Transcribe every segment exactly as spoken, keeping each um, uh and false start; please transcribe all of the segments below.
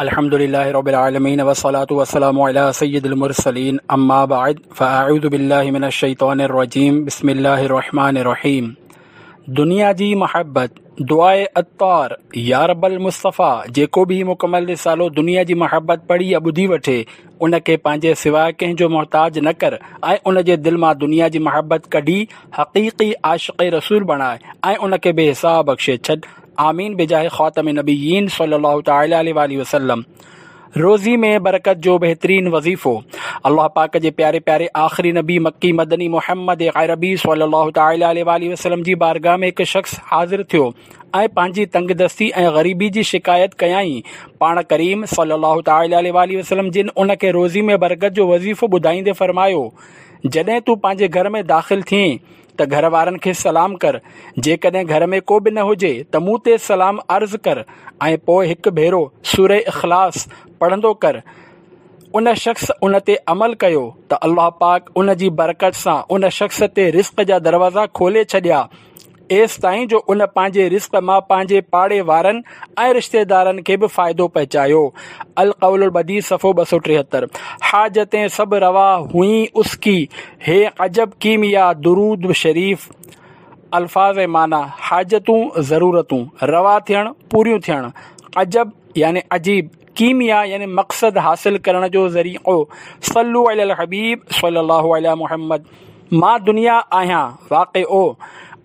الحمد لله رب العالمين والصلاة والسلام على سيد المرسلين أما بعد فأعوذ بالله من الشيطان الرجيم بسم الله الرحمن الرحيم دنيا جي محبت دعاء عطار يا رب المصطفيٰ جيڪو به هي مڪمل رسالو دنيا جي محبت پڙهي يا ٻڌي وٺي ان کي پنهنجي سواء ڪنهن جو محتاج نه ڪر ۽ ان جي دل مان دنيا جي محبت ڪڍي حقيقي عاشق رسول بڻاء ۽ ان کي بي حساب بخشي ڇڏ آمين بجاه خاتم النبيين صلي الله تعالٰي عليه واٰله وسلم روزي ۾ برڪت جو بهترين وظيفو الله پاڪ جي پياري پياري آخري نبي مڪي مدني محمد عربي صلي الله تعالٰي عليه واٰله وسلم جي بارگاهه ۾ هڪ شخص حاضر ٿيو ۽ پنهنجي تنگ دستي ۽ غريبي جي شڪايت ڪيائين. پاڻ ڪريم صلي الله تعالٰي عليه واٰله وسلم جن ان کي روزي ۾ برڪت جو وظيفو ٻڌائيندي فرمايو، جڏهن تون پنهنجي گهر ۾ داخل ٿئين ته گهر وارن کي سلام ڪر، جيڪڏهن گهر ۾ ڪو به نه هجي ته مون تي سلام عرض ڪر ۽ پوء هڪ ڀيرو سوره اخلاص پڙهندو ڪر. ان شخص ان تي عمل ڪيو ته الله پاڪ ان جي برڪت سان ان شخص تي رزق جا دروازا کولي ڇڏيا، ايستائين جو ان پنهنجي رزق مان پنهنجي پاڙي وارن ۽ رشتيدارن کي به فائدو پهچايو. القول البديع صفحو ٻه سؤ ٽيهتر. حاجتين سڀ روا هئين اس ڪي هي عجب ڪيميا درود شريف الفاظ ۽ معنيٰ، حاجتون ضرورتون، روا ٿيڻ پوريون ٿيڻ، عجب يعني عجيب، ڪيميا يعني مقصد حاصل ڪرڻ جو ذريعو، صلو علي الحبيب صلي الله علي محمد. مان دنيا آهيان واقعو،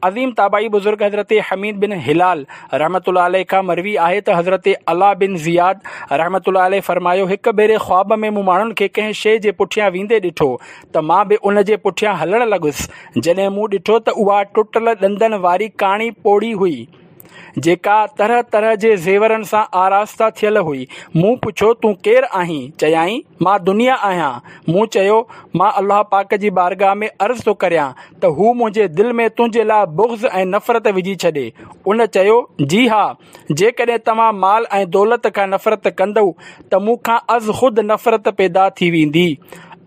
عظيم تابعي بزرگ حضرت حميد بن هلال رحمة الله عليه کان مروي آهي ته حضرت علاء بن زياد رحمة الله عليه فرمايو، هڪ ڀيري خواب ۾ مون ماڻهن کي ڪنهن شيء جي پٺيان ويندي ڏٺو ته مان به ان جي پٺيان هلڻ لڳس، جڏهن مون ڏٺو ته اها ٽٽل ڏندن واري ڪاڻي پوڙهي هئي. جيڪا طرح طرح جي زيورن سان آراسته ٿيل هئي. مون پڇيو، تون ڪير آهين؟ چيائين، مان دنيا آهيان. مون چيو، مان الله پاڪ جي بارگاهه ۾ عرض ٿو ڪريان ته هو منهنجي دل ۾ تنهنجي لاء بغض ۽ نفرت وجهي ڇڏي. ان چيو، جي ها، جيڪڏهن توهان مال ۽ دولت کان نفرت ڪندؤ ته مون کان از خود نفرت پيدا ٿي ويندي.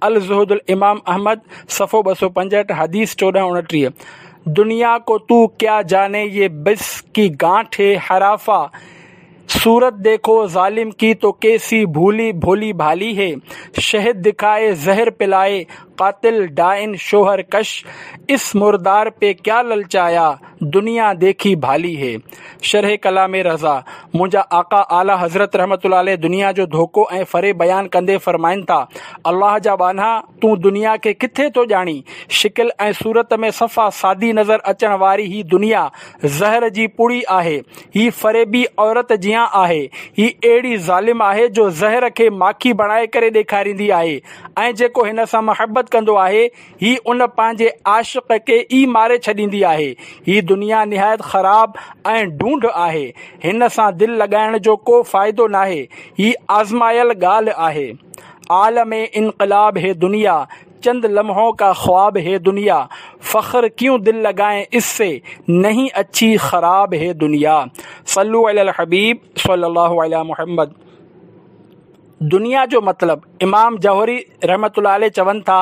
الزهد الامام احمد، صفحو ٻه سؤ پنجهٺ، حديث چوڏهن اڻٽيهه. دنيا ڪو تو ڪيا جاني يي بس ڪي گانٺ هي حرافه صورت ديکو ظالم ڪي تو ڪيسي ڀولي ڀولي ڀالي هي شهد دکائي زهر پلائي قاتل ڊائن شوهر ڪش اس مردار پي ڪيا للچايا دنيا ديکي ڀالي هي شرح ڪلام رضا منهنجا آقا اعليٰ حضرت رحمة الله عليه دنيا جو ڌوڪو ۽ فريب بيان ڪندي فرمائن ٿا، الله جا ٻانها! تون دنيا کي ڪٿي ٿو ڄاڻين؟ شڪل ۽ صورت ۾ صفا سادي نظر اچڻ واري هي دنيا زهر جي پڙي آهي. هي فريبي عورت جيان آهي. هي اهڙي ظالم آهي جو زهر کي ماکي بڻائي ڪري ڏيکاريندي آهي ۽ جيڪو هن سان محبت ڪندو آهي، هي ان پنهنجي عاشق کي ئي ماري ڇڏيندي آهي. هي دنيا نهايت خراب ۽ ڍونڍ آهي. هن سان دل لڳائڻ جو ڪو فائدو ناهي. هي آزمايل ڳالهه آهي. عالم انقلاب هي دنيا، چند لمحون ڪا خواب هي دنيا، فخر ڪيون دل لڳائين اس سي، نهين اڇي خراب هي دنيا. صلو علي الحبيب صلي الله علي محمد. دنيا جو مطلب، امام جوهري رحمة الله عليه چون ٿا،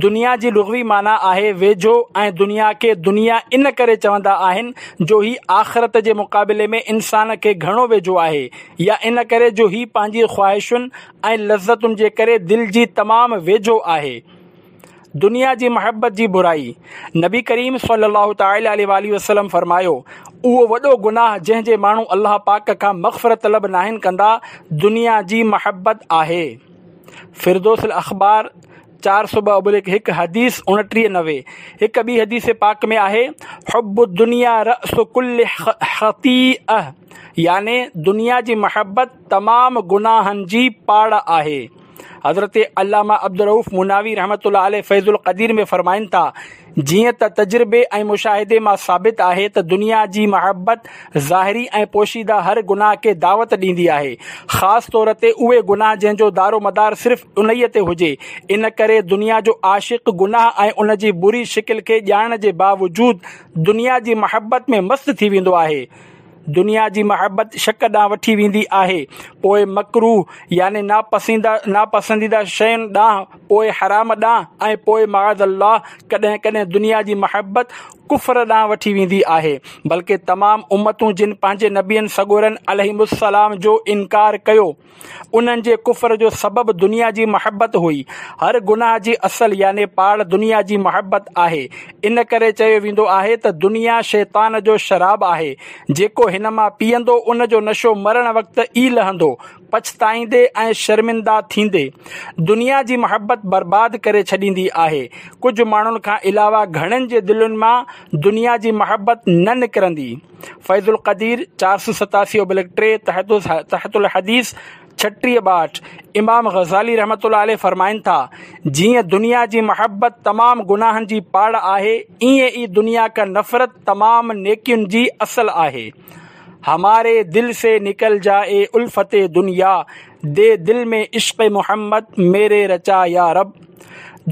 دنيا جي لغوي معنيٰ آهي ويجهو ۽ دنيا کي دنيا ان ڪري چوندا آهن جو هي آخرت جي مقابلي ۾ انسان کي گهڻو ويجهو آهي يا ان ڪري جو هي پنهنجي خواهشن ۽ لذتن جي ڪري دل جي تمام ويجهو آهي. دنيا جي محبت جي برائي، نبي ڪريم صلي الله تعالٰي عليه واٰله وسلم فرمايو، اهو وڏو گناهه جنهن جي ماڻهو الله پاڪ کان مغفرت طلب ناهن ڪندا دنيا جي محبت آهي. فردوس الاخبار چار سؤ ٻه ابليڪ هڪ حديث اڻٽيهه نوي هڪ ٻي حديث پاڪ ۾ آهي، حب الدنيا رأس ڪل خطيئه يعني دنيا جي محبت تمام گناهن جي پاڙ آهي. حضرت علامه عبدالرؤف مناوي رحمة الله عليه فيض القدير ۾ فرمائن ٿا، جيئن ته تجربي ۽ مشاهدي مان ثابت آهي ته دنيا جي محبت ظاهري ۽ پوشيده هر گناهه کي دعوت ڏيندي آهي، خاص طور تي اهي گناهه جنهن جو دارومدار صرف انهيء تي هجي، ان ڪري دنيا جو عاشق گناهه ۽ ان جي بري شڪل کي ڄاڻڻ جي باوجود دنيا جي محبت ۾ مست ٿي ويندو آهي. دنيا جي محبت شڪ ڏانهن وٺي ويندي آهي، پوء مڪروه يعني ناپسنديده شين ڏانهن، پوء حرام ڏانهن ۽ پوء معاذ الله ڪڏهن ڪڏهن دنيا جي محبت ڪفر ڏانهن وٺي ويندي آهي، بلڪه تمام امتون جن پنهنجي نبين سڳورن عليهم السلام جو انڪار ڪيو، انهن جي ڪفر جو سبب دنيا جي محبت هئي. هر گناهه جي اصل يعني پاڙ دنيا جي محبت آهي. ان ڪري چيو ويندو آهي ته دنيا شيطان جو شراب آهي، جيڪو هن مان پيئندو ان جو نشو مرڻ وقت ئي لهندو، پڇتائيندي ۽ شرمنده ٿيندي. دنيا جي محبت برباد ڪري ڇڏيندي آهي. ڪجهه ماڻهن کان علاوه گهڻن جي دلين مان دنيا جي محبت نه نڪرندي. فيض القدير چار سؤ ستاسي ابلڪ ٽي تحت الحديث ڇٽيهه ٻاهٺ. امام غزالي رحمة الله عليه فرمائن ٿا، جيئن دنيا جي محبت تمام گناهن جي پاڙ آهي، ائين ئي دنيا کان نفرت تمام نيڪين جي اصل آهي. هماري دل سي نڪل جائي الفت دنيا، the دل ۾ عشق محمد ميري رچا يا رب.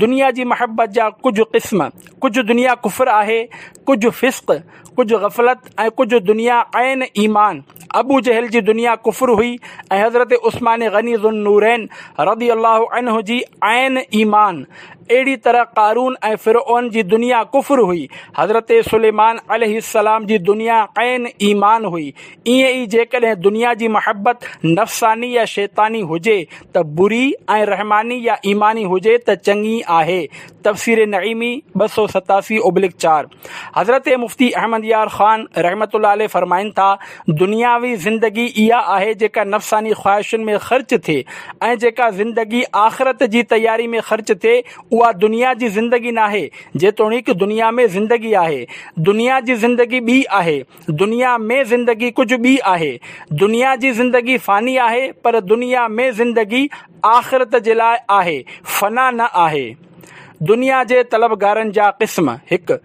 دنيا جي محبت جا ڪجهه قسم، ڪجهه دنيا ڪفر آهي، ڪجهه فسق، ڪجهه غفلت ۽ ڪجهه دنيا عين ايمان. ابو جهل جي دنيا ڪفر هئي ۽ حضرت عثمان غني ذوالنورين رضي الله عنه جي عين ايمان. اهڙي طرح قارون ۽ فرعون جي دنيا ڪفر هئي، حضرت سليمان عليه السلام جي دنيا عين ايمان هئي. ائين ئي جيڪڏهن دنيا جي محبت نفساني يا شيطاني هجي ته بري ۽ رحماني يا ايماني هجي ته چڱي آهي. تفسير نعيمي ٻه سؤ ستاسي ابلڪ چار. حضرت مفتي احمد يار خان رحمة الله عليه فرمائن ٿا، دنياوي زندگي اها آهي جيڪا نفساني خواهشن ۾ خرچ ٿئي ۽ جيڪا زندگي آخرت جي تياري ۾ خرچ ٿئي اها دنيا جي زندگي ناهي، جيتوڻيڪ دنيا ۾ زندگي آهي. دنيا جي زندگي ٻي آهي. دنيا ۾ زندگي ڪجهه ٻي آهي. دنيا جي زندگي فاني آهي پر دنيا ۾ زندگي آخرت جي لاء آهي، فنا نه آهي. دنيا جي طلبگارن جا قسم، هڪ.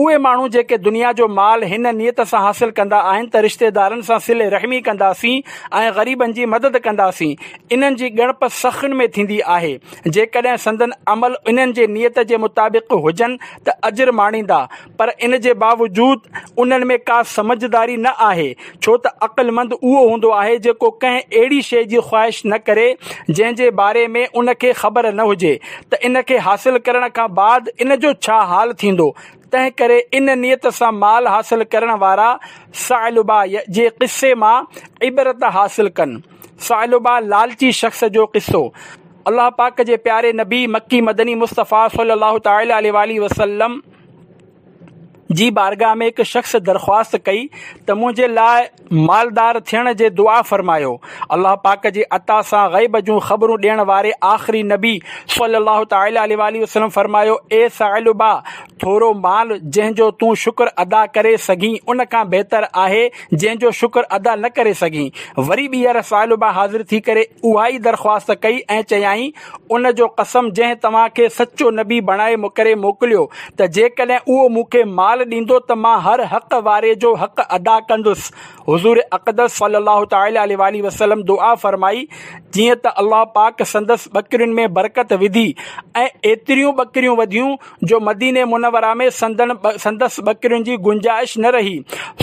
اهي ماڻهو جيڪي دنيا جو مال هن نيت سان حاصل ڪندا آهن ته رشتيدارن سان صله رحمي ڪنداسين ۽ غريبن جي مدد ڪنداسين، انهن جي ڳڻپ سخين ۾ ٿيندي آهي. جيڪڏهن سندن عمل انهن جي نيت جي مطابق هجن ته اجر ماڻيندا، پر ان جي باوجود انهن ۾ ڪا سمجهداري نه آهي، ڇو ته عقلمند اهو هوندو آهي جيڪو ڪنهن اهڙي شيء جي خواهش نه ڪري جنهن جي باري ۾ ان کي خبر نه هجي ته ان کي حاصل ڪرڻ کان بعد ان جو ڇا حال ٿيندو. تنهن ڪري ان نيت سان مال حاصل ڪرڻ وارا ثعلبه جي قصي مان عبرت حاصل ڪن. ثعلبه لالچي شخص جو قصو. الله پاڪ جي پياري نبي مڪي مدني مصطفيٰ صلي الله تعالٰي عليه واٰله وسلم جي بارگاهه ۾ هڪ شخص درخواست ڪئي ته منهنجي لاء مالدار ٿيڻ جي دعا فرمايو. الله پاڪ جي عطا سان غيب جون خبرون ڏيڻ واري آخري نبي صلي الله تعالٰي عليه واٰله وسلم فرمايو، اي ثعلبه! ٿورو مال جنهن جو تون شڪر ادا ڪري سگهين ان کان بهتر آهي جنهن جو شڪر ادا نه ڪري سگهين. وري ٻيهر ثعلبه حاضر ٿي ڪري اها ئي درخواست ڪئي ۽ چيائين، ان جو قسم جنهن توهان کي سچو نبي بڻائي ڪري موڪليو ته جيڪڏهن اهو مون کي مال ڏيندو ته مان هر حق واري جو حق ادا ڪندس. حضور اقدس صلي الله تعالٰي عليه واٰله وسلم دعا فرمائي جيئن ته الله پاڪ سندس ٻڪرين ۾ برڪت وڌي ۽ ايتريون ٻڪريون وڌيون جو مديني منوره ۾ سندن سندس ٻڪرين جي گنجائش نه رهي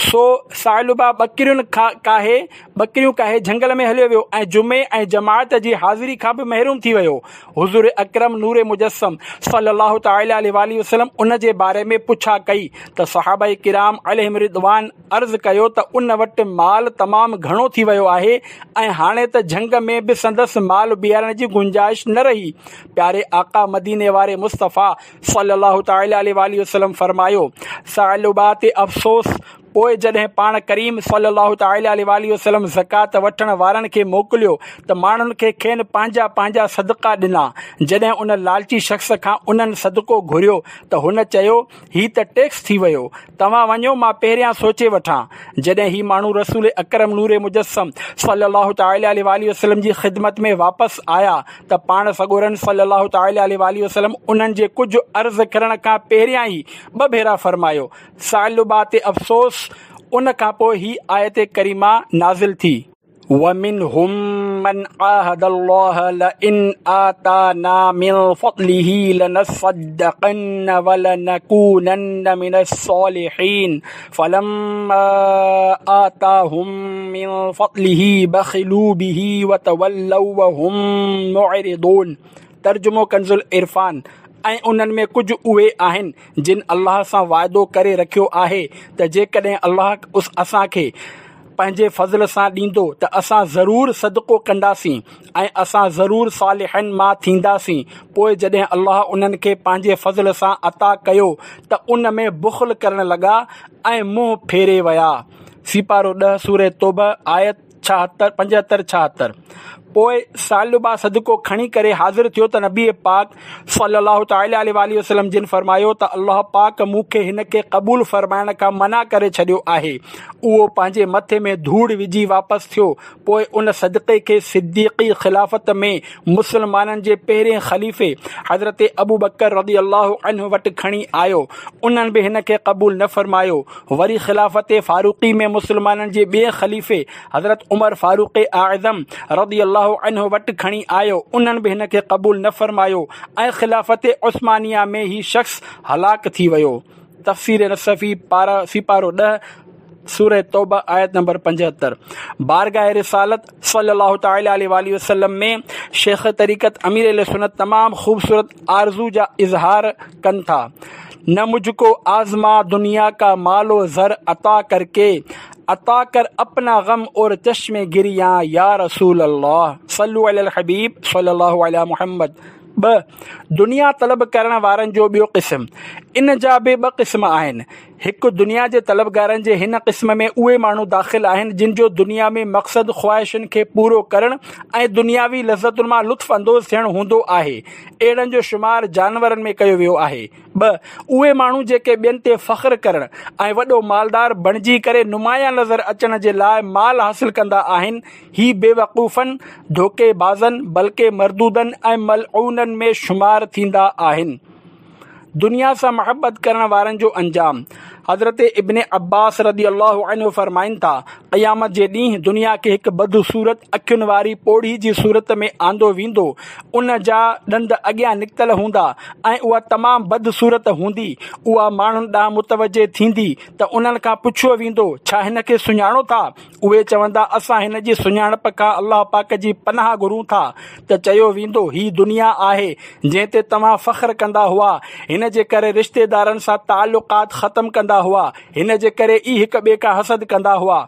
سو ثعلبه ٻڪرين ڪاهي ٻڪريون ڪاهي جهنگل ۾ هليو ويو ۽ جمعي ۽ جماعت جي حاضري کان به محروم ٿي ويو. حضور اڪرم نور مجسم صلي الله تعالٰي عليه واٰله وسلم ان جي باري ۾ پڇا ڪئي ته صحابه ڪرام عليهم الرضوان عرض ڪيو ته ان وٽ مال تمام گهڻو ٿي ويو آهي ۽ هاڻي ته جهنگ ۾ به سندس مال بيهارڻ جي گنجائش نه رهي. پياري آقا مديني واري مصطفيٰ صلي الله تعالٰي عليه واٰله وسلم فرمايو، ثعلبه تي افسوس! پوء جڏهن پاڻ ڪريم صلّي الله تعالٰي عليه واٰله وسلّم زڪوات وٺڻ وارن کي موڪليو ته ماڻهن کي کين پنهنجا پنهنجا صدقا ڏنا. جڏهن ان لالچي شخص کان انهن صدقو گهريو ته هن چيو، هي ته ٽيڪس ٿي ويو، توهان وڃو مان پهريان سوچي وٺان. جڏهن هي ماڻهو رسول اڪرم نور مجسم صلّي الله تعالٰي عليه واٰله وسلّم جي خدمت ۾ واپس آيا ته پاڻ سڳورن صلّي الله تعالٰي عليه واٰله وسلّم انهن جي ڪجهه عرض ڪرڻ کان پهريان ئي ٻه ڀيرا فرمايو، ثعلبه تي افسوس، ان کان پوء هي آيت ڪريمه نازل ٿي. ومنهم من عاهد الله لئن آتانا من فضله لنصدقن ولنڪونن من الصالحين فلما آتاهم من فضله بخلوا به وتولوا وهم معرضون. ترجمو ڪنز العرفان، ۽ انهن ۾ ڪجهه اهي آهن جن الله سان واعدو ڪري رکيو آهي ته جيڪڏهن الله اسان کي پنهنجي فضل سان ڏيندو ته اسان ضرور صدقو ڪنداسين ۽ اسان ضرور صالحن مان ٿينداسين. پوءِ جڏهن الله انهن کي پنهنجي فضل سان عطا ڪيو ته ان ۾ بخل ڪرڻ لڳا ۽ منهن ڦيري ويا. سيپارو ڏهه سورة توبه آيت ڇاهتر پنجهتر ڇاهتر. پوءِ ثعلبه صدقو کڻي ڪري حاضر ٿيو ته نبي پاڪ صلي الله تعالٰي عليه واٰله وسلم جن فرمايو ته الله پاڪ مون کي هن کي قبول فرمائڻ کان منع ڪري ڇڏيو آهي. اهو پنهنجي مٿي ۾ ڌوڙ وجهي واپس ٿيو. پوءِ ان صدقي کي صديقي خلافت ۾ مسلمانن جي پهرين خليفي حضرت ابوبڪر رضي الله عنه وٽ کڻي آيو. انهن به هن کي قبول نه فرمايو. وري خلافت فاروقي ۾ مسلمانن جي ٻئي خليفي حضرت عمر فاروق اعظم رضي الله عنه وٽ کڻي آيو. انهن به هن کي قبول نه فرمايو ۽ خلافت عثمانيه ۾ هي شخص هلاڪ ٿي ويو. تفسير نصفي پارا سيپارو ڏهه سورة توبه آيت نمبر پنجهتر. بارگاह رسالت صلي الله تعالٰي عليه واٰله وسلم ۾ شيخ طريقت امير اهل سنت تمام خوبصورت آرزو جا اظهار ڪن ٿا. نه مجهه ڪو آزما دنيا ڪا مال و زر عطا ڪر ڪي، عطا ڪر اپنا غم اور چشم گريان يا رسول الله. صلو علي الحبيب صلي الله علي محمد. ٻه، دنيا طلب ڪرڻ وارن جو ٻيو قسم. ان جا به ٻه قسم آهن. هڪ، دنيا جي طلبگارن جي هن قسم ۾ اهي ماڻهو داخل آهن جن جو دنيا ۾ مقصد خواهشن کي پورو ڪرڻ ۽ دنياوي لذتن مان لطف اندوز ٿيڻ هوندو آهي. اهڙن جو شمار جانورن ۾ ڪيو ويو آهي. ٻه، اهي ماڻهو جيڪي ٻين تي فخر ڪرڻ ۽ وڏو مالدار بڻجي ڪري نمايان نظر اچڻ جي لاءِ مال حاصل ڪندا آهن. هي بيوقوفن، ڌوڪي بازن، بلڪه مردودن ۽ ملعونن ۾ شمار ٿيندا آهن. دنيا سان محبت ڪرڻ وارن جو انجام. حضرت ابن عباس رضي الله عنه فرمائن ٿا، قيامت جي ڏينهن دنيا کي هڪ بدصورت اکين واري پوڙهي جي صورت ۾ آندو ويندو. ان جا ڏند اڳيان نڪتل هوندا ۽ اها تمام بدصورت هوندي. اها ماڻهن ڏانهن متوجه ٿيندي ته انهن کان پڇيو ويندو، ڇا هن کي سڃاڻو ٿا؟ اهي چوندا، اسان هن جي سڃاڻپ کان الله پاڪ جي پناهه گهرون ٿا. ته چيو ويندو، هي دنيا آهي جنهن تي توهان فخر ڪندا هئا. هن جي ڪري رشتيدارن سان تعلقات ختم ڪندا هئا. هن جي ڪري ئي هڪ ٻئي کان حسد ڪندا هئا،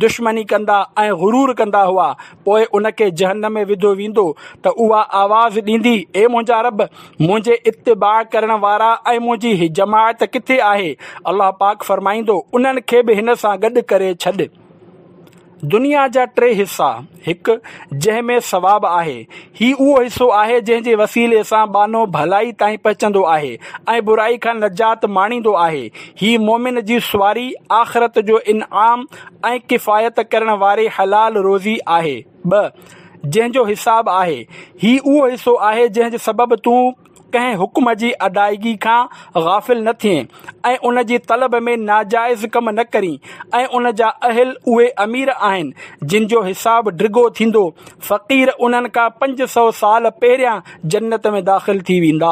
دشمني ڪندا ۽ غرور ڪندا هئا. پوءِ ان کي جهنم ۾ وڌو ويندو ته اها آواز ڏيندي، اي منهنجا رب، منهنجي اتباع ڪرڻ وارا ۽ منهنجي جماعت ڪٿي آهي؟ الله پاڪ فرمائيندو، انهن کي به هن سان گڏ ڪري ڇڏ. دنيا جا ٽي حصا. هڪ، جنهن ۾ ثواب آهي. هي اهو حصو آهي جنهن جي وسيلي سان ٻانهو ڀلائي تائين پهچندو آهي ۽ برائي کان نجات ماڻيندو آهي. هي مومن جي سواري، آخرت جو انعام ۽ ڪفايت ڪرڻ واري حلال روزي آهي. ٻه، جنهن جو حساب آهي. هي اهو حصو آهي جنهن جي سبب تون ڪنهن حڪم جي ادائگي کان غافل نه ٿئين ۽ ان جي طلب ۾ ناجائز ڪم نه ڪرين ۽ ان جا اهل اهي امير آهن جن جو حساب ڊگهو ٿيندو. فقير انهن کان پنج سؤ سال پهريان جنت ۾ داخل ٿي ويندا.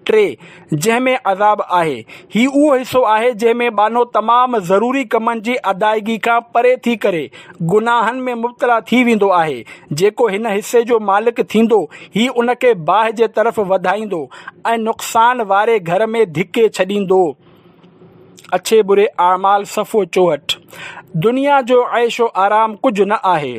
ٽي، جنهن ۾ عذاب آهي. هي اهو حصو آهي جنهن ۾ ٻانهو تمام ضروري ڪمن جي ادائگي کان پري ٿي ڪري گناهن ۾ مبتلا ٿي ويندو آهي. جيڪو هن حصي جو مالڪ ٿيندو، هي ان کي باهه جي طرف وڌائيندو ۽ نقصان واري گهر ۾ ڌڪي ڇڏيندو. اڇي بري اعمال صفحو چوهٺ. دنيا جو عيش و آرام ڪجهه نه آهي.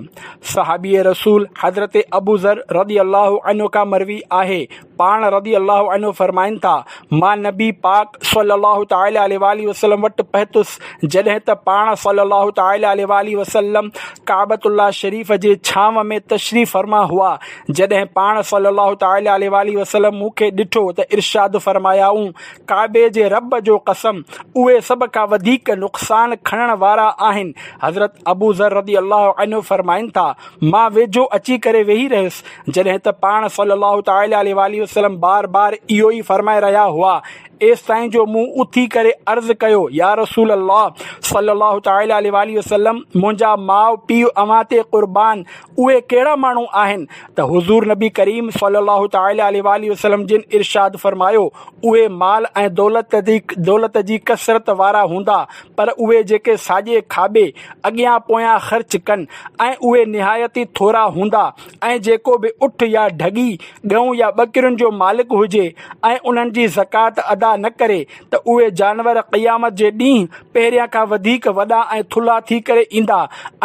صحابي رسول حضرت ابو ذر رضي الله عنه کان مروي آهي، پاڻ رضي الله عنه فرمائن ٿا، مان نبي پاڪ صلي الله تعالٰي عليه واٰله وسلم وٽ پهتس جڏهن ته پاڻ صلي الله تعالٰي عليه واٰله وسلم ڪعبة الله شريف جي ڇانو ۾ تشريف فرما هئا. جڏهن پاڻ صلي الله تعالٰي عليه واٰله وسلم مون کي ڏٺو ته ارشاد فرمايائون، ڪعبي جي رب جو قسم، اهي سڀ کان وڌيڪ نقصان کڻڻ وارا آهن. حضرت ابو ذر رضي الله عنه فرمائن ٿا، مان ويجهو اچي ڪري ويهي رهيس جڏهن ته پاڻ صلي الله تعالٰي عليه واٰله وسلم بار بار اهو ئي فرمائي رهيا هئا، ايستائين جو مون اٿي ڪري عرض ڪيو، يا رسول الله صلي الله تعالٰي عليه واٰله وسلم، منهنجا ماء پيء اوهان تي قربان، اهي ڪهڙا ماڻهو آهن؟ ته حضور نبي ڪريم صلي الله تعالٰي عليه واٰله وسلم جن ارشاد فرمايو، اهي مال ۽ دولت جي دولت جي ڪثرت وارا هوندا، پر اهي جيڪي ساڄي کاٻي، اڳيان پويان خرچ ڪن، ۽ اهي نهايت ئي ٿورا هوندا، ۽ جيڪو به اٺ يا ڍڳي، ڳئون يا ٻڪرين جو مالڪ هجي ۽ انهن جي زڪوات ادا نه ڪري ته اهي جانور قيامت جي ڏينهن پهريان کان وڌيڪ وڏا ۽ ٿلها ٿي ڪري ايندا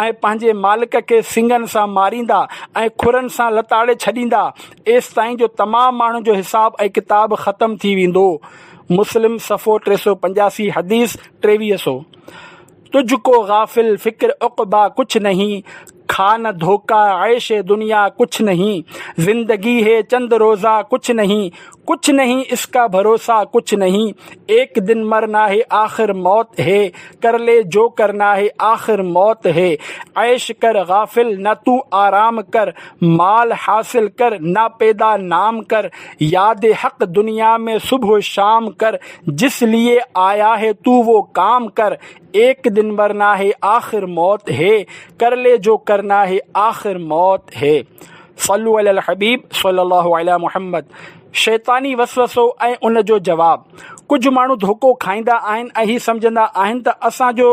۽ پنهنجي مالڪ کي سڱن سان ماريندا ۽ کرن سان لتاڙي ڇڏيندا، ايستائين جو تمام ماڻهن جو حساب ۽ ڪتاب ختم ٿي ويندو. مسلم صفحو ٽي سؤ پنجاسي حديث ٽيويهه سؤ. تجھ ڪو غافل فڪر عقبيٰ ڪڇ نهين، کا نه ڌوڪا عيش دنيا ڪڇ نهين، زندگي هي چند روزه ڪڇ نهين، ڪڇ نهين اس ڪا ڀروسا ڪڇ نهين، ايڪ دن مرنا هي آخر موت هي، ڪر لي جو ڪرنا هي آخر موت هي، عيش ڪر غافل نه تو آرام ڪر، مال حاصل ڪر نه پيدا نام ڪر، ياد حق دنيا ۾ صبح شام ڪر، جس ليي آيا هي تو وو ڪام ڪر، ايڪ دن مرنا هي آخر موت هي، ڪر لي جو ڪرنا هي آخر موت هي. صلو علي الحبيب صلي الله علي محمد. شيطاني وسوسو ۽ ان جو جواب. ڪجهه ماڻهو ڌوڪو کائيندا آهن ۽ هي سمجهندا آهن ته اسان جو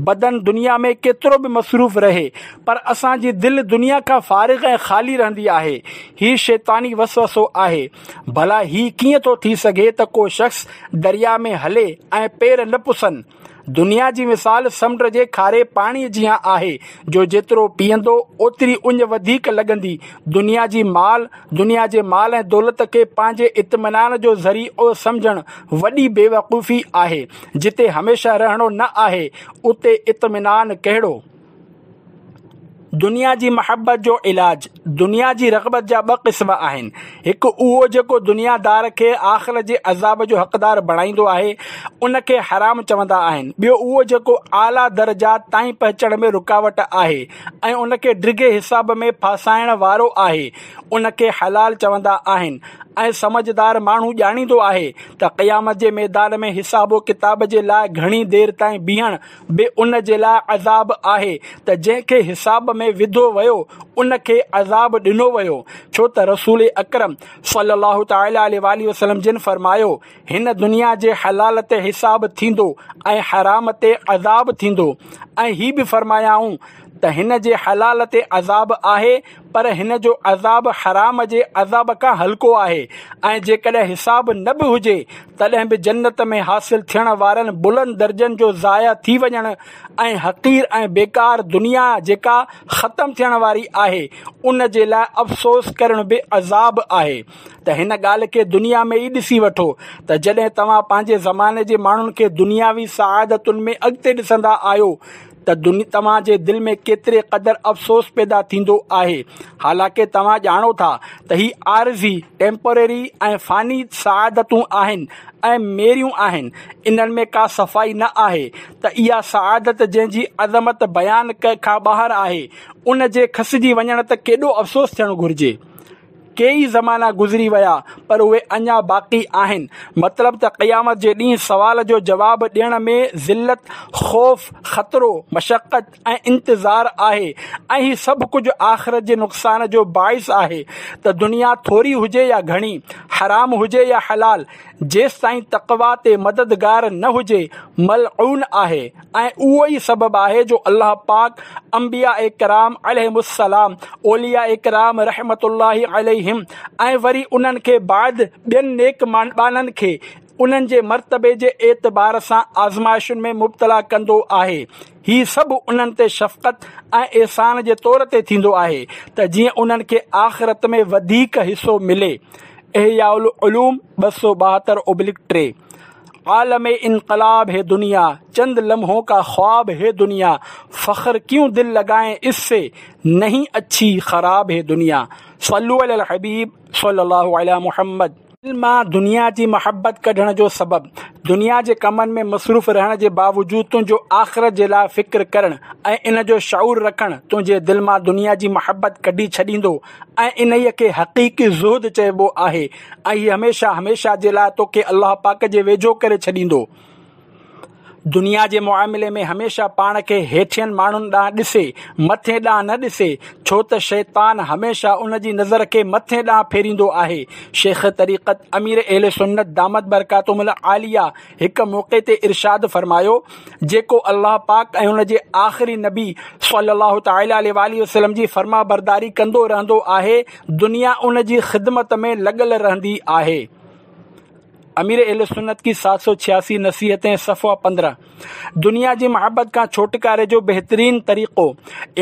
بدن دنيا ۾ ڪيترو به مصروف رهي پر اسان جي دل دنيا کان فارغ ۽ خالي رهندي آهي. هي شيطاني وسوسو آهي. ڀلا هي ڪيئن ٿو ٿي سگهي ته ڪو شخص درياء ۾ هلي ۽ پير نه پسن؟ دنيا جي مثال سمنڊ جي کاري پاڻيء جيان آهي، جو جيترو پيئندو اوتري اڃ وڌيڪ لڳندي. دنيا جي مال دنيا جي مال ۽ دولت کي پنهنجي اطمينان جو ذريعو سمجهڻ وڏي بيوقوفي آهي. جتي هميشه رهڻو نه آهي، اتي اطمينان ڪهڙو؟ دنيا جي محبت جو علاج. دنيا جي رغبت جا ٻه قسم آهن. هڪ اهو جيڪو دنيا دار کي آخرت جي عذاب جو حقدار بڻائيندو آهي، ان کي حرام چوندا آهن. ٻيو اهو جيڪو اعليٰ درجات تائين پهچڻ ۾ رڪاوٽ آهي ۽ ان کي ڊگهي حساب ۾ ڦاسائڻ وارو آهي، ان کي حلال چوندا آهن. ۽ سمجهدار ماڻهو ڄاڻيندو آهي ته قيامت جي ميدان ۾ حساب و ڪتاب جي لاء گهڻي دير تائين بيهڻ به ان جي لاء عذاب آهي ته جنهن کي حساب ۾ وڌو ويو ان کي عذاب ڏنو ويو، ڇو ته رسول اڪرم صلي الله تعالٰي عليه واٰله وسلم جن فرمايو، هن دنيا جي حلال تي حساب ٿيندو ۽ حرام تي عذاب ٿيندو. ۽ هي به فرمايائون ته هن جي حلال تي عذاب آهي پر هن جو عذاب حرام جي عذاب کان هلڪو آهي ۽ جيڪڏهن حساب نه به هجي تڏهن به جنت ۾ حاصل ٿيڻ وارن بلند درجن جو ضايع ٿي وڃڻ ۽ حقير ۽ بيڪار دنيا جيڪا ختم ٿيڻ واري آهي ان جي لاء افسوس ڪرڻ به عذاب آهي ته هن ڳالهه کي دنيا ۾ ئي ڏسي وٺو ته جڏهن توهان پنهنجي زماني جي ماڻهن کي دنياوي سعادتن ۾ اڳتي ڏسندا آهيو ته توهان جي دل ۾ ڪيتري قدر افسوس پيدا ٿيندو آهي. حالانڪه توهان ڄاڻو ٿا ته هي عارضي، Temporary، ۽ فاني سعادتون آهن ۽ ميريون آهن، انهن ۾ ڪا صفائي نه آهي ته اها سعادت جنهن جي عظمت بيان کان ٻاهر آهي، ان جي کسجي وڃڻ تي ڪيڏو افسوس ٿيڻ گهرجي. ڪيئي زمانا گذري ويا پر اهي اڃا باقي آهن. مطلب ته قيامت جي ڏينهن سوال جو جواب ڏيڻ ۾ ذلت، خوف، خطرو، مشقت ۽ انتظار آهي ۽ هي سڀ ڪجهه آخرت جي نقصان جو باعث آهي ته دنيا ٿوري هجي يا گهڻي، حرام هجي يا حلال، جيستائين تقويٰ تي مددگار نه هجي، ملعون آهي ۽ اهو ئي سبب آهي جو الله پاڪ انبياء ڪرام عليهم السلام، اولياء ڪرام رحمة الله عليهم ۽ وري انهن کي بعد ٻين نيڪ ٻانهن کي انهن جي مرتبي جي اعتبار سان آزمائشن ۾ مبتلا ڪندو آهي. هي سڀ انهن تي شفقت ۽ احسان جي طور تي ٿيندو آهي ته جيئن انهن کي آخرت ۾ وڌيڪ حصو ملي. احياء العلوم ٻه سؤ ٻاهتر اوبلڪ ٽي. عالم انقلاب هي دنيا، چند لمحون ڪا خواب هي دنيا، فخر ڪيون دل لڳائين اس سي، نهين اڇي خراب هي دنيا. صلو علي الحبيب صلي الله علي محمد. دل مان دنيا جي محبت ڪڍڻ جو سبب دنيا جي ڪمن ۾ مصروف رهڻ جي باوجود تنهنجو آخرت جي لاءِ فڪر ڪرڻ ۽ ان جو شعور رکڻ تنهنجي دل مان دنيا جي محبت ڪڍي ڇڏيندو ۽ انهيءَ کي حقيقي زهد چئبو آهي ۽ هي هميشه هميشه جي لاءِ توکي الله پاڪ جي ويجهو ڪري ڇڏيندو. دنيا جي معاملي ۾ هميشه پاڻ کي هيٺين ماڻهن ڏانهن ڏسي، مٿي ڏانهن نه ڏسي، ڇو ته شيطان هميشه ان جي نظر کي مٿي ڏانهن ڦيريندو آهي. شيخ طريقت امير اهل سنت دامت برڪاتهم العاليه هڪ موقعي تي ارشاد فرمايو، جيڪو الله پاڪ ۽ ان جي آخري نبي صلي الله تعالٰي عليه واٰله وسلم جي فرما برداري ڪندو رهندو آهي، دنيا ان جي خدمت ۾ لڳل رهندي آهي. امير اهل سنت की सात सौ छियासी नसीहतें सफ़ा पंद्रह। दुनिया जी मोहब्बत खां छुटकारे जो बहितरीन तरीक़ो।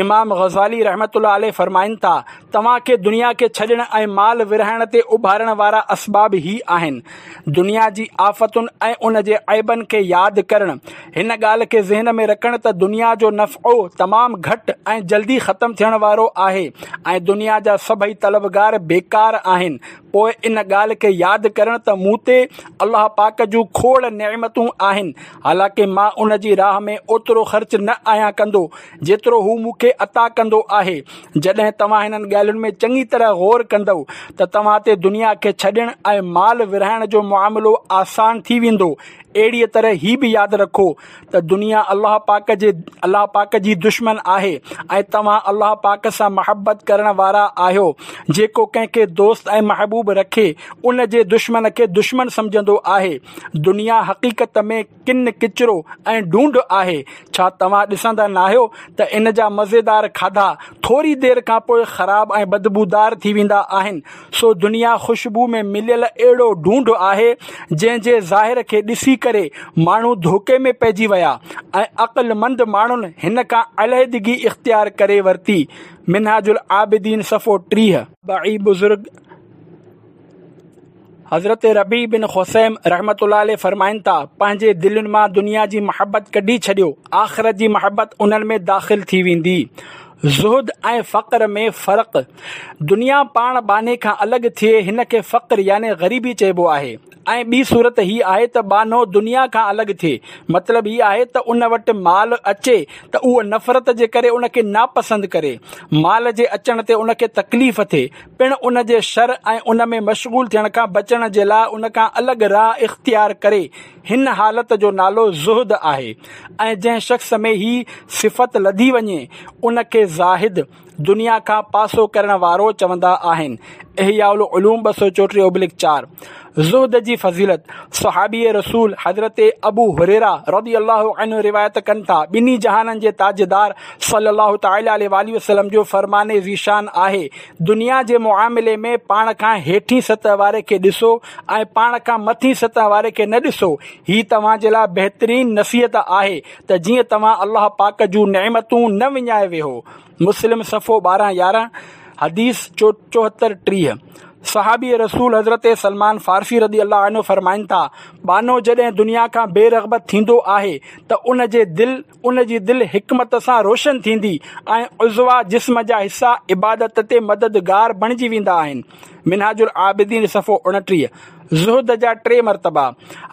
इमाम गज़ाली रहमतुल्लाह अलैह फरमाइनि था, तव्हांखे दुनिया खे छॾण ऐं माल विरहाइण ते उभारण वारा असबाब ही आहिनि। दुनिया जी आफ़तुनि ऐं उन जे ऐबनि खे यादि करणु, हिन ॻाल्हि खे ज़हन में रखणु त दुनिया जो नफ़ो तमामु घटि ऐं जल्दी ख़तमु थियण वारो आहे ऐं दुनिया जा सभई तलबगार बेकार आहिनि। पोइ इन ॻाल्हि खे यादि करणु त मूं ते अलाह पाक जूं खोड़ नेमतूं आहिनि, हालांकि मां उन जी राह में ओतिरो ख़र्च न आहियां कंदो जेतिरो हू मूंखे अता कंदो आहे। जॾहिं तव्हां हिननि ॻाल्हियुनि में चङी तरह गौर कंदव त तव्हां ते दुनिया खे छॾण ऐं माल विरहाइण जो मुआमिलो आसान थी वेंदो। अहिड़ीअ तरह ही बि यादि रखो त दुनिया अलाह पाक जे अलाह पाक जी दुश्मन आहे ऐं तव्हां अलाह पाक सां मोहबत करण वारा आहियो। जेको कंहिंखे दोस्त ऐं महबूब रखे उन जे दुश्मन खे दुश्मन सम्झंदो आहे। दुनिया हक़ीक़त में किन किचरो ऐं ढूंढ आहे। छा तव्हां ॾिसंदा न आहियो त इन जा मज़ेदार खाधा थोरी देरि खां पोइ ख़राब ऐं बदबूदार थी वेंदा आहिनि। सो दुनिया ख़ुशबू में मिलियल अहिड़ो ढूंढ आहे जंहिंजे ज़ाहिर खे ॾिसी करे माण्हू धोखे में पइजी विया ऐं अक़लमंद माण्हुनि हिन खां अलिहदगी इख़्तियार करे वरिती। मिन्हाजुल आबिदीन सफ़ो टीह। बाई बुज़ुर्ग हज़रत रबी बिन खुसैम रहमतुल्लाह अलैह फरमाइनि था, पंहिंजे दिलनि मां दुनिया जी मोहबत कढी छॾियो, आख़िरत जी मोहबत उन्हनि में दाख़िल थी वेंदी। ज़ुहद ऐं फ़क़्र में फ़र्क़ु। दुनिया पाण बाने खां अलॻि थिए हिन खे फ़क़्र यानी ग़रीबी चइबो आहे ऐं ॿी सूरत ही आहे त बानो दुनिया खां अलॻि थिए, मतिलबु ही आहे त उन वटि माल अचे त उहो नफ़रत जे करे उनखे नापसंदि करे, माल जे अचण ते उनखे तकलीफ़ थिए, पिणु उन जे शर ऐं उन में मशगूल थियण खां बचण जे लाइ उन खां अलॻि राह इख़्तियार करे। हिन हालत जो नालो ज़ुहद आहे ऐं जंहिं शख़्स में ही सिफ़त लधी वञे उनखे ज़ाहिद दुनिया खां पासो करण वारो चवंदा आहिनि। इहयाउल उलूम ॿ सौ चोटीह ओब्लिक चार। ज़ुहद जी फ़ज़ीलत। सहाबी रसूल हज़रत अबू हुरैरा रज़ी अल्लाहु अन्हु रिवायत कनि था, ॿिन्ही जहाननि जे ताजदार सल्लल्लाहु तआला अलैहि वालैहि वसल्लम जो फरमाने ज़ीशान आहे, दुनिया जे मुआमिले में पाण खां हेठी सतह वारे खे ॾिसो ऐं पाण खां मथी सतह वारे खे न ॾिसो। ही तव्हां जे लाइ बहितरीन नसीहत आहे त जीअं तव्हां अलाह पाक जूं नेमतूं न विञाए वेहो। मुस्लिम सफ़ो ॿारहं यारहं, हदीस चोहतरि टीह। सहाबी रसूल हज़रत सलमान फ़ारसी रज़ी अल्लाह अन्हु फरमाइनि था, बानो जॾहिं दुनिया खां बेरग़बत थींदो आहे त उन जे दिलि उन जी दिलि हिकमत सां रोशन थींदी ऐं उज़वा जिस्म जा हिस्सा इबादत ते मददगार बणिजी वेंदा आहिनि। मिन्हाजुल आबिदीन सफ़ो उणिटीह। ज़ुहद जा टे मर्तबा।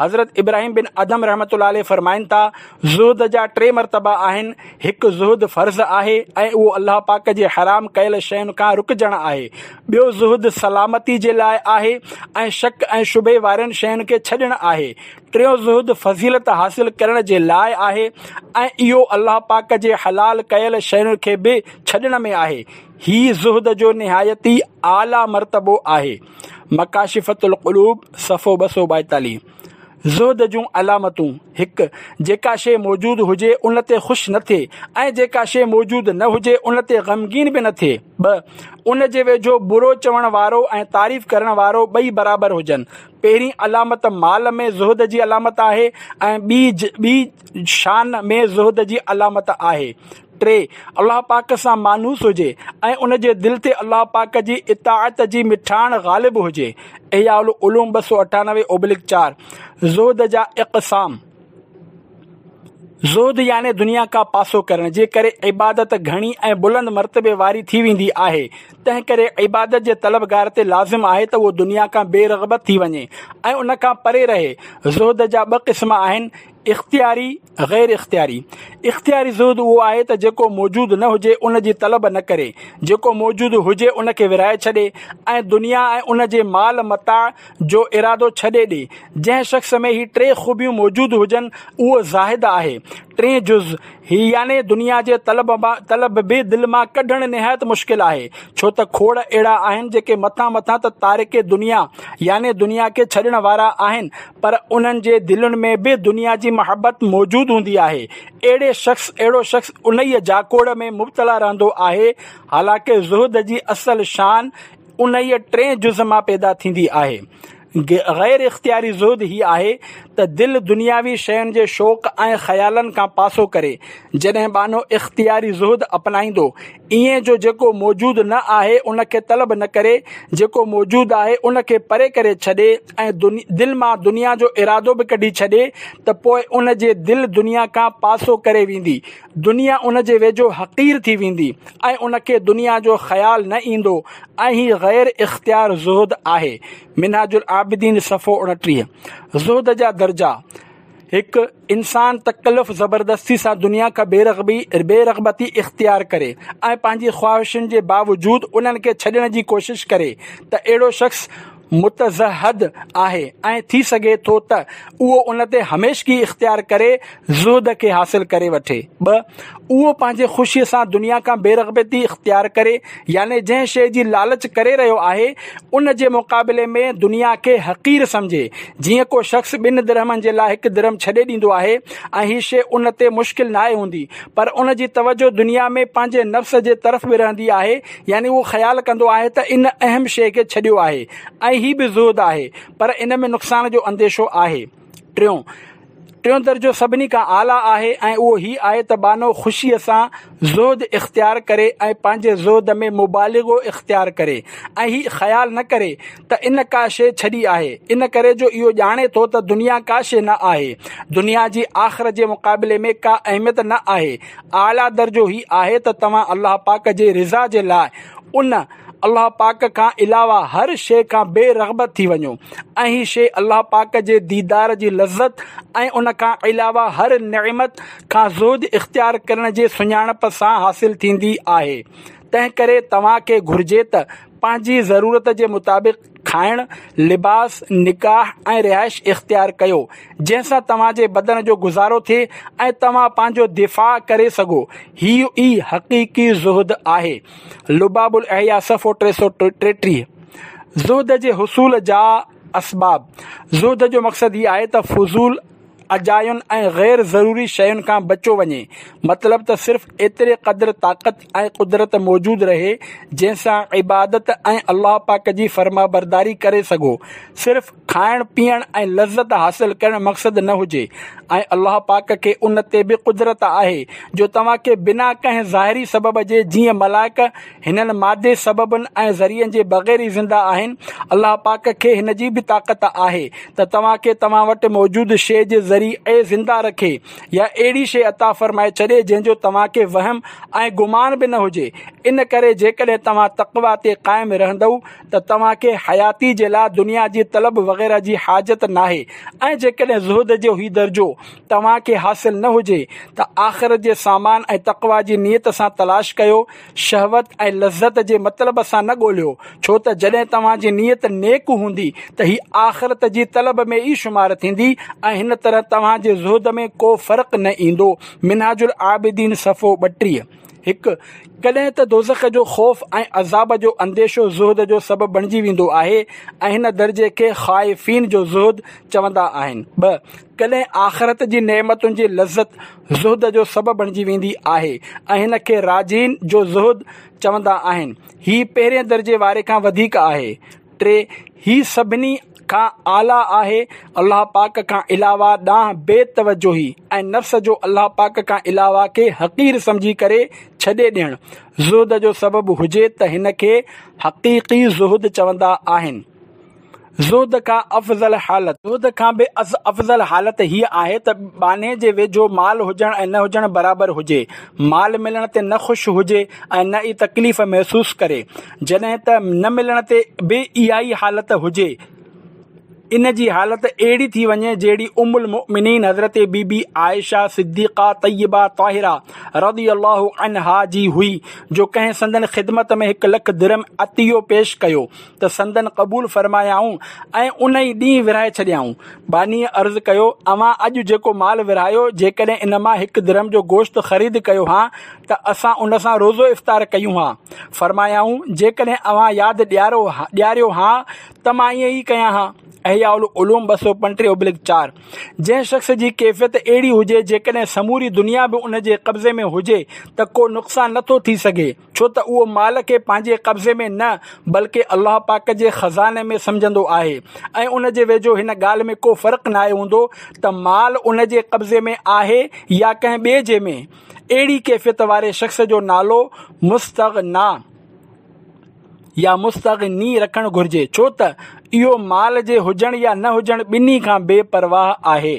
हज़रत इब्राहिम बिन अदम रहमतुल्लाह अलैह फरमाइनि था, ज़ुहद जा टे मर्तबा आहिनि। हिकु ज़ुहद फ़र्ज़ आहे ऐं उहो अलाह पाक जे हराम कयल शयुनि खां रुकिजणु आहे। ॿियो ज़ुहद सलामती जे लाइ आहे ऐं शक ऐं शुबे वारनि शयुनि खे छॾणु आहे। टियों ज़ुहद फ़ज़ीलत हासिल करण जे लाइ आहे ऐं इहो अलाह पाक जे हलाल कयल शयुनि खे बि छॾण में आहे। ही ज़ुहद जो निहायत ई आला मर्तबो आहे। मकाशिफ़तुल क़ुलूब सफ़ो ॿ सौ ॿाएतालीह। ज़ुहद जूं अलामतूं। हिकु, जेका शइ मौजूदु हुजे उन ते ख़ुशि न थिए ऐं जेका शइ मौजूदु न हुजे उन ते ग़मगीन बि न थिए। ॿ, उन जे वेझो बुरो चवण वारो ऐं तारीफ़ करण वारो ॿई बराबरि हुजनि। पहिरीं अलामत माल में ज़ुहद जी अलामत आहे ऐं ॿी ॿी शान में ज़ुहद जी अलामत आहे। टे, अलाह पाक सां मानूस हुजे ऐं उन जे दिलि ते अलाह पाक जी इताअत जी मिठाण ग़ालिब हुजे। इहयाउल उलूम ॿ सौ अठानवे ओब्लिक चार। ज़ुहद जा इक़साम। زهد يعني دنيا کان پاسو ڪرڻ جي ڪري عبادت گهڻي ۽ بلند مرتبي واري ٿي ويندي آهي. تنهن ڪري عبادت جي طلبگار تي لازم آهي ته اهو دنيا کان بي رغبت ٿي وڃي ۽ ان کان پري رهي. زهد جا ٻه قسم آهن، اختياري، غير اختياري. اختياري زهد اهو آهي ته جيڪو موجود نه هجي ان جي طلب نه ڪري، جيڪو موجود هجي ان کي ورهائي ڇڏي ۽ دنيا ۽ ان جي مال متاع جو ارادو ڇڏي ڏي. جنهن شخص ۾ هي ٽي خوبيون موجود هجن اهو زاهد آهي. ٽئين جز هي يعني دنيا جي طلب طلب به دل مان ڪڍڻ نهايت مشڪل آهي، ڇو ته کوڙ اهڙا آهن جيڪي مٿان مٿان ته تارڪ دنيا يعني دنيا کي ڇڏڻ وارا آهن، پر انهن جي دلين ۾ به دنيا جي محبت موجود هوندي آهي. اهڙي شخص اهڙو شخص انهيء جاکوڙ ۾ مبتلا رهندو آهي، حالانڪه زهد جي اصل شان انهيء ٽئين جز مان پيدا ٿيندي آهي. غير اختياري زهد هي آهي ته دل دنياوي شين جي شوق ۽ خيالن کان پاسو ڪري. جڏهن ٻانهو اختياري زهد اپنائيندو، ائين جو جيڪو موجود نه آهي ان کي طلب نه ڪري، جيڪو موجود آهي ان کي پري ڪري ڇڏي ۽ دل مان دنيا جو ارادو به ڪڍي ڇڏي ته پوء ان جي دل دنيا کان پاسو ڪري ويندي، دنيا ان جي ويجهو حقير ٿي ويندي ۽ ان کي دنيا جو خيال نه ايندو ۽ هي غير اختيار زهد آهي. منهاج العابدين صفحو اڻٽيهه. زهد جا درجا، هڪ. انسان تڪلف زبردستي سان دنيا کان بي رغبي بي رغبتي اختيار ڪري ۽ پنهنجي خواهشن جي باوجود انهن کي ڇڏڻ جي ڪوشش ڪري ته اهڙو شخص متزهد آهي ۽ ٿي سگهي ٿو ته اهو ان تي هميشگي اختيار ڪري زهد کي حاصل ڪري وٺي. ٻه. اهو پنهنجي خوشيء سان دنيا کان بي رغبتي اختيار ڪري يعني جنهن شيء جي لالچ ڪري رهيو آهي ان جي مقابلي ۾ دنيا کي حقير سمجهي، جيئن ڪو شخص ٻن درهمن جي لاء هڪ درهم ڇڏي ڏيندو آهي ۽ هي شيء ان تي مشڪل ناهي هوندي پر ان جي توجه دنيا ۾ پنهنجي نفس جي طرف به رهندي آهي يعني اهو خيال ڪندو آهي ته ان اهم شيء کي ڇڏيو آهي ۽ هي به زهد آهي پر ان ۾ نقصان جو انديشو آهي. ٽيون ٽيون درجو سڀني کان اعليٰ آهي ۽ اهو هي آهي ته ٻانهو خوشيء سان زهد اختيار ڪري ۽ پنهنجي زهد ۾ مبالغو اختيار ڪري ۽ هي خيال نه ڪري ته ان ڪا شيء ڇڏي آهي، ان ڪري جو اهو ڄاڻي ٿو ته دنيا ڪا شيء نه آهي، دنيا جي آخرت جي مقابلي ۾ ڪا اهميت نه آهي. اعليٰ درجو هي آهي ته توهان الله پاڪ جي رضا جي لاء ان، الله پاڪ، کان علاوه هر شيء کان بي رغبت ٿي وڃو ۽ هي شيء الله پاڪ جي ديدار جي لذت ۽ ان کان علاوه هر نعمت کان زهد اختيار ڪرڻ جي سڃاڻپ سان حاصل ٿيندي آهي. تنهن ڪري توهان کي گهرجي ته پنهنجي ضرورت جي مطابق کائڻ، لباس، نڪاح ۽ رهائش اختيار ڪيو، جنهن سان توهان جي بدن جو گذارو ٿئي ۽ توهان پنهنجو دفاع ڪري سگهو. هيء ئي حقيقي زهد آهي. لباب الاحياء صفحو ٽي سؤ ٽيٽيهه. زهد جي حصول جا اسباب، زهد جو مقصد هي آهي ته فضول، اجاين ۽ غير ضروري شين کان بچيو وڃي، مطلب ته صرف ايتري قدر طاقت ۽ قدرت موجود رهي جنهن سان عبادت ۽ الله پاڪ جي فرمانبرداري ڪري سگهو، صرف کائڻ پيئڻ ۽ لذت حاصل ڪرڻ مقصد نه هجي ۽ الله پاڪ کي ان تي به قدرت آهي جو توهان کي بنا ڪنهن ظاهري سبب جي جيئن ملائڪ هنن مادي سببن ۽ ذريعن جي بغير ئي زنده آهن، الله پاڪ کي هن جي به طاقت آهي ته توهان کي توهان وٽ موجود شيء جي ذريعي زنده رکي يا اهڙي شيء عطا فرمائي ڇڏي جنهن جو توهان کي وهم ۽ گمان به نه هجي، ان ڪري جيڪڏهن توهان تقويٰ تي قائم رهندؤ ته توهان کي حياتي جي لاء دنيا جي طلب وغيره جي حاجت ناهي ۽ جيڪڏهن زهد جو هي درجو توهان کي حاصل نه هجي ته آخرت جي سامان ۽ تقويٰ جي نيت سان تلاش ڪيو، شهوت ۽ لذت جي مطلب سان نه ڳولهيو، ڇو ته جڏهن توهان جي نيت نيڪ هوندي ته هي آخرت جي طلب ۾ ئي شمار ٿيندي ۽ هن طرح توهان جي زهد ۾ ڪو فرق نه ايندو. منهاج العابدين صفحو ٻٽيهه. هڪ، ڪڏهن ته دوزخ جو خوف ۽ عذاب جو انديشو زهد جو سبب بڻجي ويندو آهي ۽ هن درجي کي خائفين جو زهد چوندا آهن. ٻه، ڪڏهن آخرت جي نعمتن جي لذت زهد جو سبب بڻجي ويندي آهي ۽ هن کي راجين جو زهد چوندا آهن. هي پهرين درجي واري کان وڌيڪ آهي. ٽي، هي سڀني کان اعليٰ آهي، الله پاڪ کان علاوه ڏانهن بي توجهي ۽ نفس جو الله پاڪ کان علاوه کي حقير سمجهي ڪري ڇڏي ڏيڻ زهد جو سبب هجي ته هن کي حقيقي زهد چوندا آهن. زهد کان افضل حالت. زهد کان به افضل حالت هيء آهي ته ٻانهي جي ويجهو مال هجڻ ۽ نه هجڻ برابر هجي. مال ملڻ تي نه خوش هجي ۽ نه ئي تڪليف محسوس ڪري، جڏهن ته نه ملڻ تي به اها ئي حالت هجي. ان جي حالت اهڙي ٿي وڃي جهڙي ام المؤمنين حضرت بي بي عائشه صديقه طيبه طاهره رضي الله عنها جي هئي، جو ڪنهن سندن خدمت ۾ هڪ لک درهم عطيو پيش ڪيو ته سندن قبول فرمايائون ۽ ان ئي ڏينهن ورهائي ڇڏيائون. ٻانهيء عرض ڪيو، اوهان اڄ جيڪو مال ورهايو، جيڪڏهن ان مان هڪ درهم جو گوشت خريد ڪيو هان ته اسان ان سان روزو افطار ڪيون هان. فرمايائون، جيڪڏهن اوهان ياد ڏياريو هان ته مان ائين ئي ڪيان هان. احياء العلوم ٻه سؤ پنٽيهه ابلڪ چار. جنهن شخص جي ڪيفيت اهڙي هجي، جيڪڏهن سموري دنيا به ان جي قبضي ۾ هجي ته ڪو نقصان نٿو ٿي سگهي، ڇو ته اهو مال کي پنهنجي قبضي ۾ نه بلڪه الله پاڪ جي خزاني ۾ سمجهندو آهي ۽ ان جي ويجهو هن ڳالهه ۾ ڪو فرق ناهي هوندو ته مال ان جي قبضي ۾ آهي يا ڪنهن ٻئي جي ۾. اهڙي ڪيفيت واري شخص جو نالو مستغنا يا مستغني رکڻ گهرجي، ڇو ته اهو مال جي هجڻ يا نه هجڻ ٻنهي کان بي پرواهه آهي.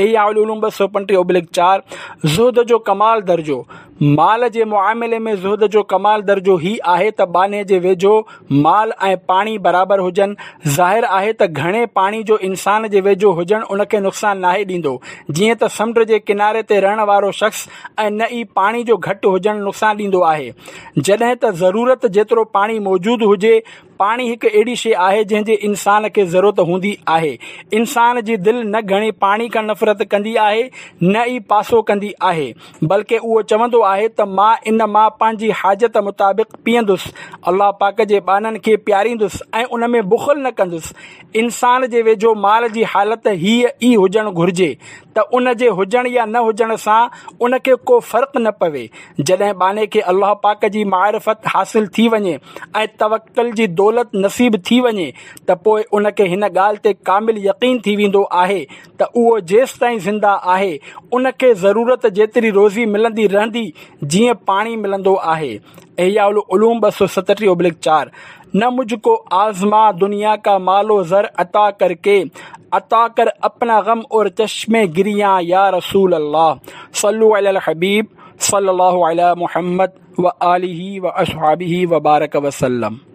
احياء العلوم ٻه سؤ پنٽيهه ابلڪ چار. زهد جو ڪمال درجو. مال جي معاملي ۾ زهد جو ڪمال درجو هي آهي ته ٻانهي جي ويجهو مال ۽ پاڻي برابر هجن. ظاهر آهي ته گهڻي پاڻي جو انسان جي ويجهو هجڻ ان کي نقصان ناهي ڏيندو، جيئن ته سمنڊ جي ڪناري تي رهڻ وارو شخص، ۽ نه ئي پاڻي جو گهٽ هجڻ نقصان ڏيندو آهي، جڏهن ته ضرورت جيترو پاڻي موجود هجي. پاڻي هڪ اهڙي شيء آهي جنهن جي انسان کي ضرورت هوندي آهي. انسان جي دل نه گهڻي پاڻي کان نفرت ڪندي آهي نه ئي پاسو ڪندي آهي، بلڪه اهو چوندو آهي ته مان ان مان پنهنجي حاجت مطابق پيئندس، الله پاڪ جي ٻانهن کي پياريندس ۽ ان ۾ بخل نه ڪندس. انسان جي ويجهو مال جي حالت هيء ئي هجڻ گهرجي ته ان جي هجڻ يا نه هجڻ سان ان کي ڪو فرق نه پوي. جڏهن ٻانهي کي الله پاڪ جي معرفت حاصل ٿي وڃي ۽ توڪل جي دولت نصيب ٿي وڃي ته پوء ان کي هن ڳالهه تي ڪامل يقين ٿي ويندو آهي ته اهو جيستائين زنده آهي ان کي ضرورت جيتري روزي ملندي رهندي، جيئن پاڻي ملندو آهي. احياء العلوم ٻه سؤ ستٽيهه ابلڪ چار. نه مجھ ڪو آزما دنيا کا مال و زر عطا ڪر ڪي، عطا ڪر اپنا غم اور چشم گريان يا رسول الله. صلو علی الحبيب صلي الله علي محمد وآله واصحابه وبارڪ وسلم.